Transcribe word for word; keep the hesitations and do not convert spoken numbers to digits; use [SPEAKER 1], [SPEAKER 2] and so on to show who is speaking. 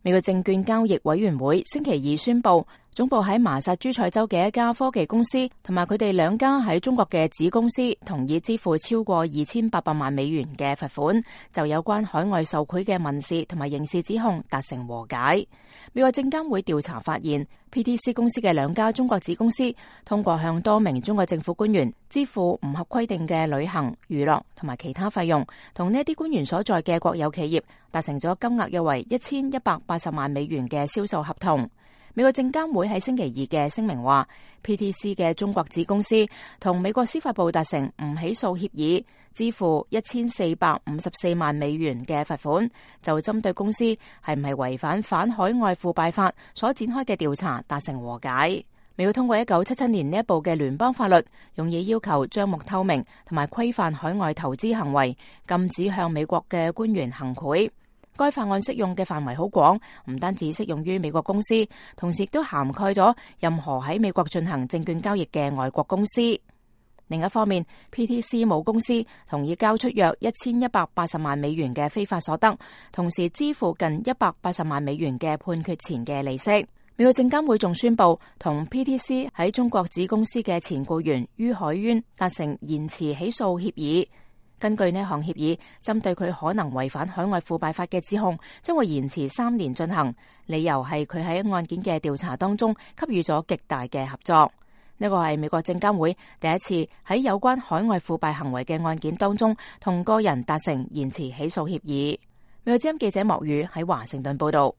[SPEAKER 1] 美國證券交易委員會星期二宣布，總部喺麻薩諸塞州嘅一家科技公司同埋佢哋兩家喺中國嘅子公司同意支付超過二千八百萬美元嘅罰款，就有關海外受賄嘅民事同埋刑事指控達成和解。美國證監會調查發現， P T C 公司嘅兩家中國子公司通過向多名中國政府官員支付唔合規定嘅旅行、娛樂同埋其他費用，同呢一啲官員所在嘅國有企業達成咗金額約為一千一百八十萬美元嘅銷售合同。美國證監會喺星期二嘅聲明話， P T C 嘅中國子公司同美國司法部達成唔起訴協議，支付一千四百五十四萬美元嘅罰款，就針對公司係唔係違反反海外腐敗法所展開嘅調查達成和解。美國通過一九七七年呢一部嘅聯邦法律，用以要求賬目透明同埋規範海外投資行為，禁止向美國嘅官員行賄。該法案適用嘅範圍好廣，唔單止適用於美國公司，同時亦都涵蓋咗任何喺美國進行證券交易嘅外國公司。另一方面， P T C 母公司同意交出約一千一百八十萬美元嘅非法所得，同時支付近一百八十萬美元嘅判決前嘅利息。美國證監會仲宣布同 P T C 喺中國子公司嘅前僱員于海淵達成延遲起訴協議。根據呢項協議，針對佢可能違反海外腐敗法嘅指控，將會延遲三年進行，理由係佢喺案件嘅調查當中給予咗極大嘅合作。呢個係美國證監會第一次喺有關海外腐敗行為嘅案件當中同個人達成延遲起訴協議。美國之音記者莫宇喺華盛頓報道。